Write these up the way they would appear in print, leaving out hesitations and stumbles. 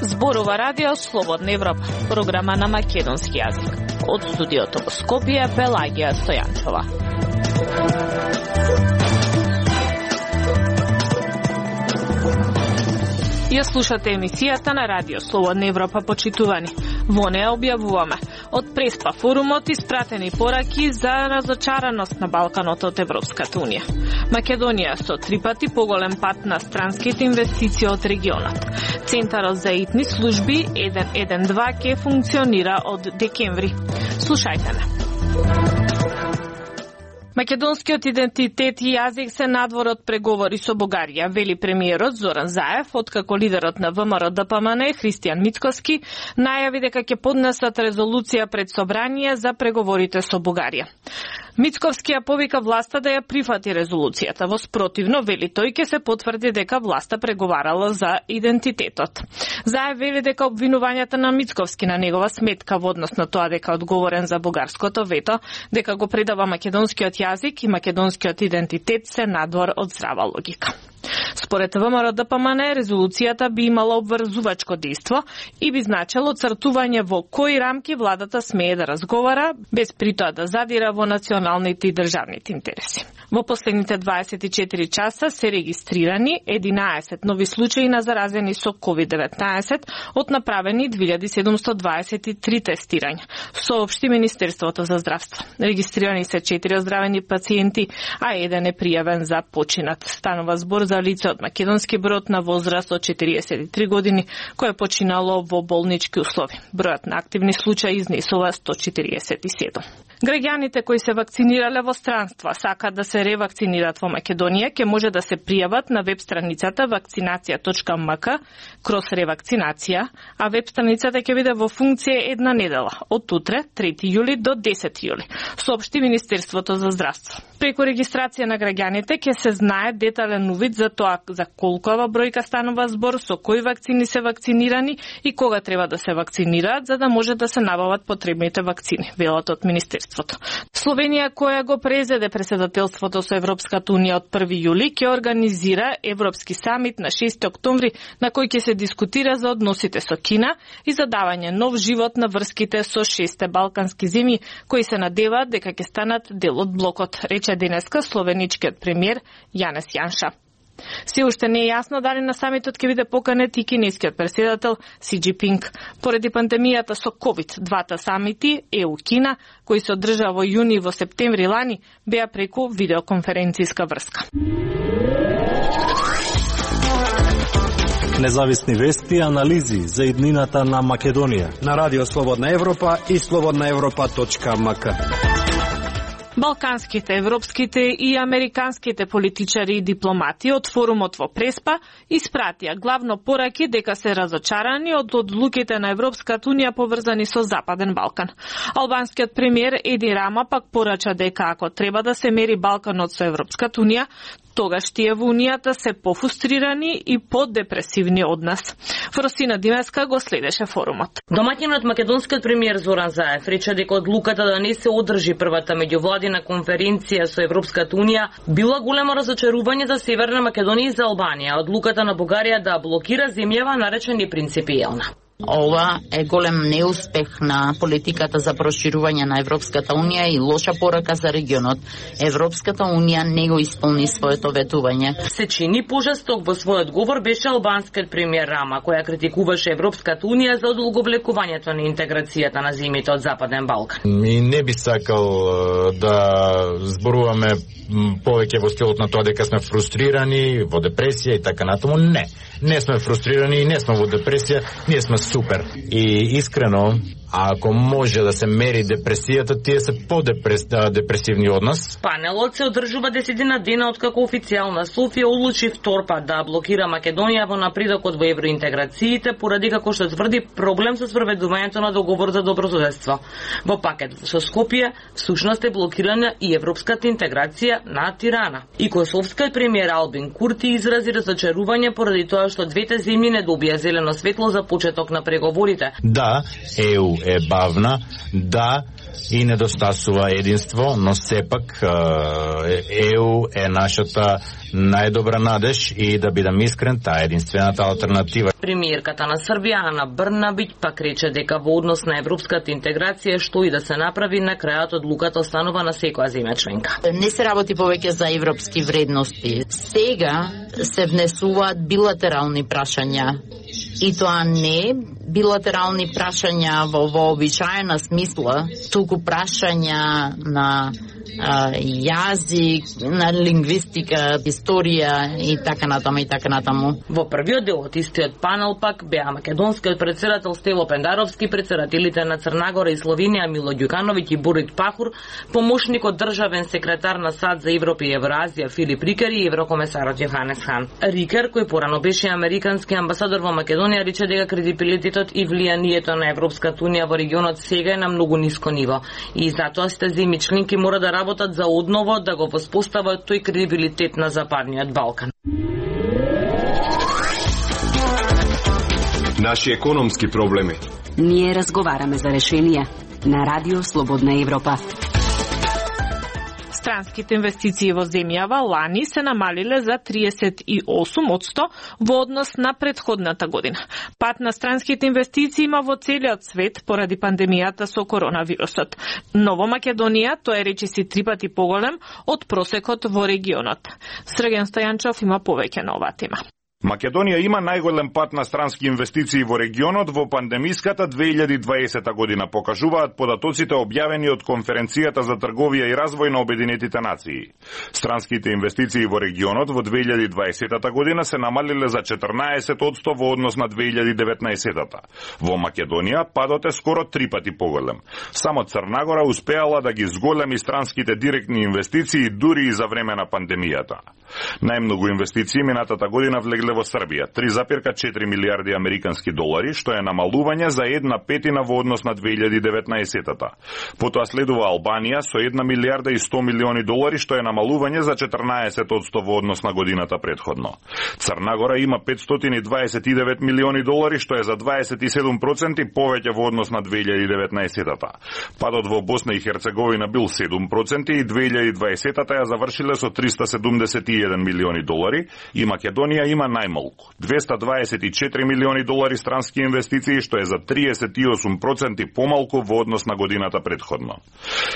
Зборува радио Слободна Европа, програма на македонски јазик. Од студиото во Скопје, Пелагија Стојанчова. Ја слушате емисијата на радио Слободна Европа, почитувани. Во неја објавуваме од Преспа форумот испратени пораки за разочараност на Балканот од Европската Унија. Македонија со 3 пати поголем пат на странските инвестиции од регионот. Центарот за итни служби 112 ќе функционира од декември. Слушајте ме. Македонскиот идентитет и јазик се надвор од преговори со Бугарија, вели премиерот Зоран Заев, откако лидерот на ВМРО-ДПМН Христијан Мицковски најави дека ќе поднесат резолуција пред собрание за преговорите со Бугарија. Мицковски ја повика власта да ја прифати резолуцијата. Во спротивно, вели тој, ќе се потврди дека власта преговарала за идентитетот. Заев вели дека обвинувањата на Мицковски на негова сметка во однос на тоа дека одговорен за бугарското вето, дека го предава македонскиот јазик и македонскиот идентитет се надвор од здрава логика. Според ВМРО-ДПМН, резолуцијата би имала обврзувачко дејство и би значело цртување во кои рамки владата смее да разговара, без при тоа да задира во националните и државните интереси. Во последните 24 часа се регистрирани 11 нови случаи на заразени со COVID-19 од направени 2723 тестирања, соопшти Министерството за здравство. Регистрирани се 4 оздравени пациенти, а 1 е пријавен за починат. Станува збор за лице од македонски брод на возраст од 43 години, кој е починало во болнички услови. Бројот на активни случаи изнесува 147. Граѓаните кои се вакцинирале во странство, сакаат да се ревакцинираат во Македонија, ќе може да се пријават на веб страницата vakcinacija.mk/ревакцинација, а веб страницата ќе биде во функција една недела, од утре, 3 јули до 10 јули, соопшти Министерството за здравство. Преку регистрација на граѓаните ќе се знае детален увид за тоа за колкова бројка станува збор, со кои вакцини се вакцинирани и кога треба да се вакцинираат, за да може да се набават потребните вакцини, велат од Министерството. Словенија, која го презеде претседателството со Европската Унија од 1 јули, ќе организира Европски самит на 6 октомври, на кој ќе се дискутира за односите со Кина и за давање нов живот на врските со 6 балкански земји, кои се надеваат дека ќе станат дел од блокот, рече денеска словеничкиот премиер Јанес Јанша. Се уште не е јасно дали на самитот ќе биде поканет и кинескиот претседател Си Џинпинг. Поради пандемијата со COVID, двата самити, ЕУ-Кина, кои се одржаа во јуни и во септември лани, беа преку видеоконференцијска врска. Независни вести и анализи за иднината на Македонија на Радио Слободна Европа и slobodnaevropa.mk. Балканските, европските и американските политичари и дипломати од форумот во Преспа испратија главно пораки дека се разочарани од одлуките на Европската Унија поврзани со Западен Балкан. Албанскиот премиер Еди Рама пак порача дека ако треба да се мери Балканот со Европската Унија, тогаш тие во Унијата се пофрустрирани и подепресивни од нас. Фросина Димеска го следеше форумот. Домаќинот македонскиот премиер Зоран Заев рече дека одлуката да не се одржи првата меѓувладина конференција со Европската Унија била големо разочарување за Северна Македонија и за Албанија. Одлуката на Бугарија да блокира земјава нарече непринципиелна. Ова е голем неуспех на политиката за проширување на Европската Унија и лоша порака за регионот. Европската Унија не го исполни своето ветување. Се чини пожесток во својот говор беше албанскиот премиер Рама, која критикуваше Европската Унија за одолговлекувањето на интеграцијата на земјите од Западен Балкан. Ми не би сакал да зборуваме повеќе во стилот на тоа дека сме фрустрирани, во депресија и така натаму. Не сме фрустрирани и не сме во депресија, ние сме супер. И искрено, ако може да се мери депресијата, тие се по-депресивни од нас. Панелот се одржува 10 дена откако официјална Софија одлучи втор пат да блокира Македонија во напредокот во евроинтеграциите, поради како што тврди проблем со спроведувањето на договор за добрососедство. Во пакет со Скопје всушност е блокирана и европската интеграција на Тирана. И косовскиот премиер Албин Курти изрази разочарување поради тоа што двете земји не добија зелено светло за почеток на на преговорите. Да, ЕУ е бавна, да, и недостасува единство, но сепак ЕУ е нашата најдобра надеж и да бидам искрен, таа е единствената алтернатива. Премиерката на Србија Ана Брнабиќ пак рече дека во однос на европската интеграција што и да се направи, на крајот одлуката останува на секоја земја членка. Не се работи повеќе за европски вредности. Сега се внесуваат билатерални прашања. И тоа не билатерални прашања во вообичаена смисла, туку прашања на јазик, на лингвистика, историја и така натаму. Во првиот дел од истиот панел пак беа македонскиот председател Стево Пендаровски, председателите на Црнагора и Словенија Мило Ѓукановиќ и Борит Пахур, помошникот државен секретар на САД за Европа и Евразија Филип Рикер и еврокомесарот Јоханес Хан. Рикер, кој порано беше американски амбасадор во Македонија, рече дека кредибилитетот и влијанието на Европската унија во регионот сега е на многу ниско ниво и затоа сите земји членки мора да работат за одново да го воспостават тој кредибилитет на Западниот Балкан. Наши економски проблеми. Ние разговараме за решенија на Радио Слободна Европа. Странските инвестиции во земјава лани се намалиле за 38% во однос на претходната година. Пат на странските инвестиции има во целиот свет поради пандемијата со коронавирусот. Но во Македонија тој е речиси 3 пати поголем од просекот во регионот. Срген Стојанчов има повеќе на оваа тема. Македонија има најголем пат на странски инвестиции во регионот во пандемиската 2020 година, покажуваат податоците објавени од Конференцијата за трговија и развој на Обединетите нации. Странските инвестиции во регионот во 2020 година се намалиле за 14% во однос на 2019. Во Македонија падот е скоро 3 пати поголем. Само Црнагора успеала да ги зголеми странските директни инвестиции дури и за време на пандемијата. Најмногу инвестиции минатата година влегле во Србија, 3,4 милиарди американски долари, што е намалување за 1/5 во однос на 2019-та. Потоа следува Албанија со 1 милиарда и 100 милиони долари, што е намалување за 14% во однос на годината претходно. Црнагора има 529 милиони долари, што е за 27% повеќе во однос на 2019-та. Падот во Босна и Херцеговина бил 7% и 2020-та ја завршиле со 371 милиони долари и Македонија има најмалку 224 милиони долари странски инвестиции, што е за 38% помалку во однос на годината претходно.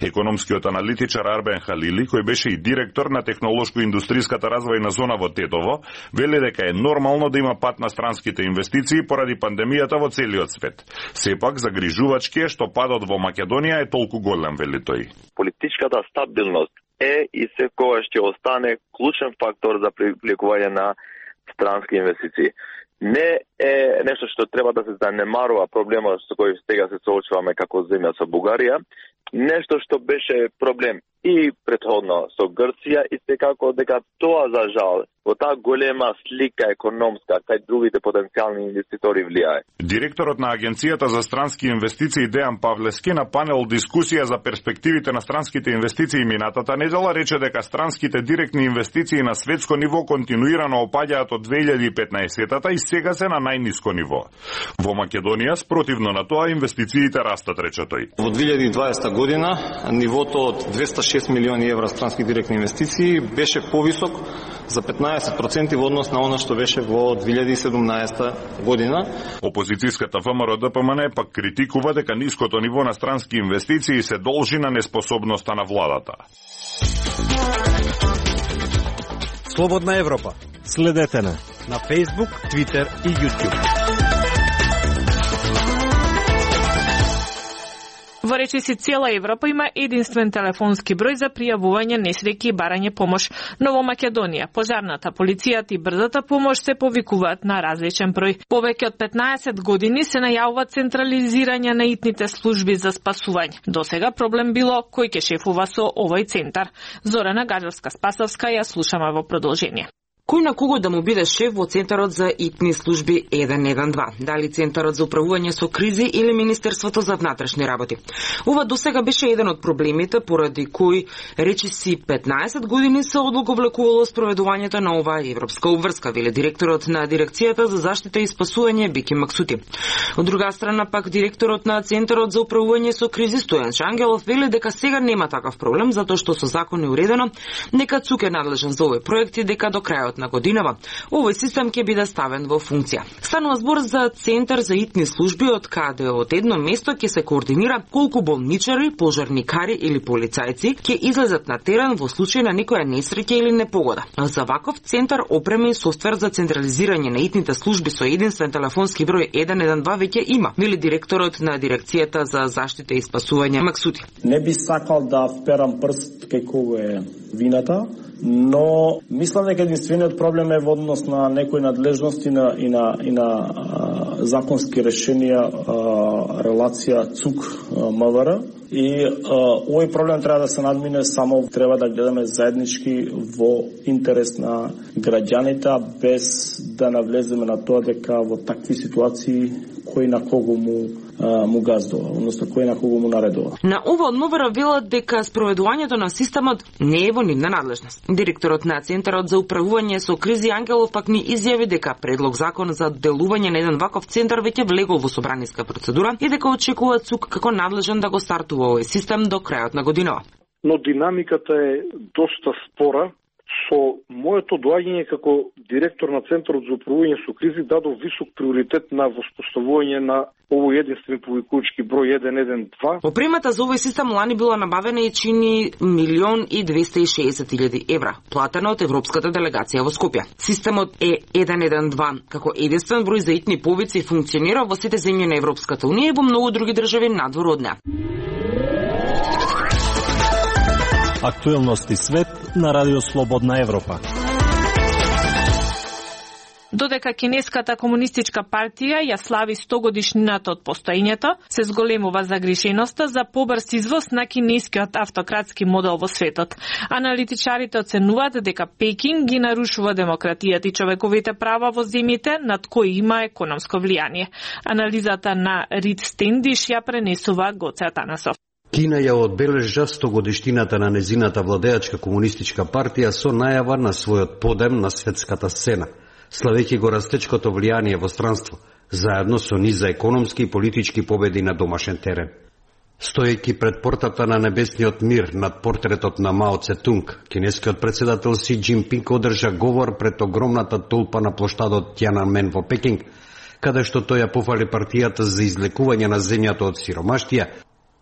Економскиот аналитичар Арбен Халили, кој беше и директор на технолошко-индустријската развојна зона во Тетово, вели дека е нормално да има пат на странските инвестиции поради пандемијата во целиот свет. Сепак загрижувачки е што падот во Македонија е толку голем, вели тој. Политичката стабилност е и секогаш ќе остане клучен фактор за привлекување на странски инвестиции. Не е нешто што треба да се занемарува проблемот со кој сега се соочуваме како земја со Бугарија, нешто што беше проблем и претходно со Грција и секако дека тоа за жал во таа голема слика економска кај другите потенцијални инвеститори влијае. Директорот на Агенцијата за странски инвестиции Дејан Павлески на панел дискусија за перспективите на странските инвестиции минатата недела рече дека странските директни инвестиции на светско ниво континуирано опаѓаат од 2015-та и сега се на најниско ниво. Во Македонија, спротивно на тоа, инвестициите растат, рече тој. Во 2020 година нивото од 206 милиони евра странски директни инвестиции беше повисок за 15% во однос на она што беше во 2017 година. Опозицијската ВМРО-ДПМН пак критикува дека ниското ниво на странски инвестиции се должи на неспособноста на владата. Слободна Европа. Следете на Facebook, Twitter и YouTube. Во речиси цела Европа има единствен телефонски број за пријавување несреќи и барање помош, но во Македонија пожарната, полицијата и брзата помош се повикуваат на различен број. Повеќе од 15 години се најавува централизирање на итните служби за спасување. Досега проблем било кој ќе шефува со овој центар. Зорана Гаджевска-Спасовска ја слушаме во продолжение. Кој на кого да му биде шеф во Центарот за итни служби 112? Дали Центарот за управување со кризи или Министерството за внатрешни работи? Ова досега беше еден од проблемите поради кој речиси 15 години се одлаговлекувало спроведувањето на оваа европска обврска, вели директорот на Дирекцијата за заштита и спасување Бики Максути. Од друга страна пак директорот на Центарот за управување со кризи Стојан Шангелов вели дека сега нема такав проблем затоа што со закон е уредено дека ЦУК е надлежен за овој проект и дека до крајот на годинава овој систем ќе биде ставен во функција. Станува збор за Центар за итни служби од каде од едно место ќе се координира колку болничари, пожарникари или полицајци ќе излезат на терен во случај на некоја несреќа или непогода. За ваков центар опрема и софтвер за централизирање на итните служби со единствен телефонски број 112 веќе има, вели директорот на Дирекцијата за заштита и спасување Максути. Не би сакал да вперам прст кај кого е вината, но мислам дека единствениот проблем е во однос на некои надлежности и на законски решенија, релација ЦУК-МВР. И овој проблем треба да се надмине, само треба да гледаме заеднички во интерес на граѓаните, без да навлеземе на тоа дека во такви ситуации кој на кого му газдува, односно кој на кого му наредува. На ова од МВР велат дека спроведувањето на системот не е во нивна надлежност. Директорот на Центарот за управување со кризи Ангелов пак ни изјави дека предлог закон за делување на еден ваков центар веќе влегол во собраниска процедура и дека очекува ЦУК како надлежен да го стартува овој систем до крајот на годинава. Но динамиката е доста спора. Со моето доаѓање како директор на Центарот за управување со кризи дадов висок приоритет на воспоставување на овој единствен повикувачки број 112. Опремата за овој систем лани била набавена и чини 1.260.000 евра, платена од Европската делегација во Скопје. Системот е 112 како единствен број за итни повици функционира во сите земји на Европската унија и во многу други држави надвор од неа. Актуелности свет на Радио Слободна Европа. Додека Кинеската комунистичка партија ја слави 100 годишнината од постоењето, се зголемува загриженоста за побрз извоз на кинескиот автократски модел во светот. Аналитичарите оценуваат дека Пекин ги нарушува демократијата и човековите права во земјите над кои има економско влијание. Анализата на Рид Стендиш ја пренесува Гоце Атанасов. Кина ја одбележа 100 годишнината на незината владеачка комунистичка партија со најава на својот подем на светската сцена, славејќи го растечкото влијание во странство, заедно со низ за економски и политички победи на домашен терен. Стоејќи пред портата на небесниот мир над портретот на Мао Цетунг, кинескиот председател Си Џинпинг одржа говор пред огромната толпа на плоштадот Тиананмен во Пекинг, каде што тој ја пофали партијата за излекување на земјата од сиромаштија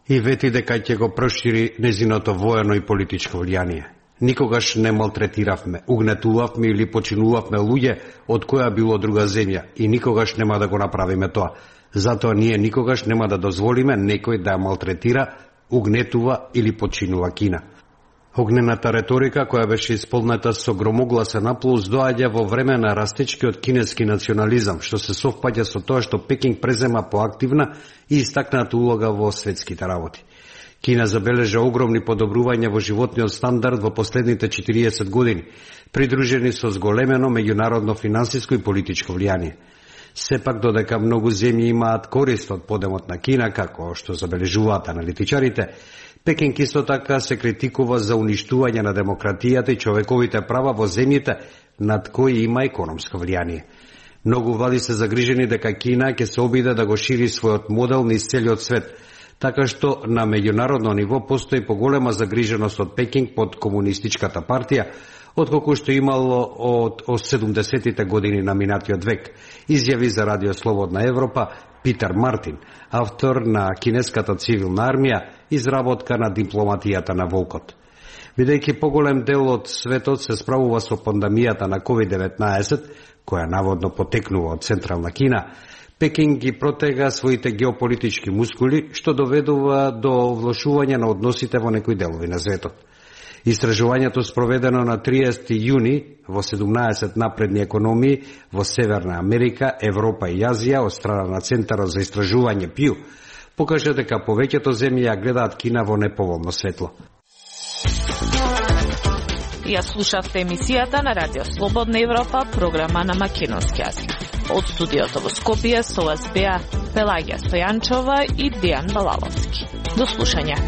и вети дека ќе го прошири незиното воено и политичко влијание. Никогаш не малтретиравме, угнетувавме или починувавме луѓе од која било друга земја и никогаш нема да го направиме тоа. Затоа ние никогаш нема да дозволиме некој да ја малтретира, угнетува или починува Кина. Огнената реторика, која беше исполнета со громогласен аплауз, доаѓа во време на растечкиот кинески национализам, што се совпаѓа со тоа што Пекинг презема поактивна и истакната улога во светските работи. Кина забележа огромни подобрувања во животниот стандард во последните 40 години, придружени со зголемено меѓународно финансиско и политичко влијание. Сепак, додека многу земји имаат корист од подемот на Кина, како што забележуваат аналитичарите, Пекинг исто така се критикува за уништување на демократијата и човековите права во земјите над кои има економско влијание. Многу влади се загрижени дека Кина ќе се обиде да го шири својот модел низ целиот свет, така што на меѓународно ниво постои поголема загриженост од Пекинг под комунистичката партија, отколку што имало од 70-тите години на минатиот век, изјави за Радио Слободна Европа Питер Мартин, автор на Кинеската цивилна армија, изработка на дипломатијата на волкот. Бидејќи поголем дел од светот се справува со пандемијата на COVID-19, која наводно потекнува од Централна Кина, Пекинг ги протега своите геополитички мускули, што доведува до влошување на односите во некои делови на светот. Истражувањето спроведено на 30 јуни во 17 напредни економии во Северна Америка, Европа и Азија од страна на Центарот за истражување Пју покажа дека повеќето земји ја гледаат Кина во неповолно светло. Ја слушавте емисијата на Радио Слободна Европа, програма на македонски јазик. Од студиото во Скопје со вас беа Пелагија Стојанчова и Дејан Балаловски. До слушање.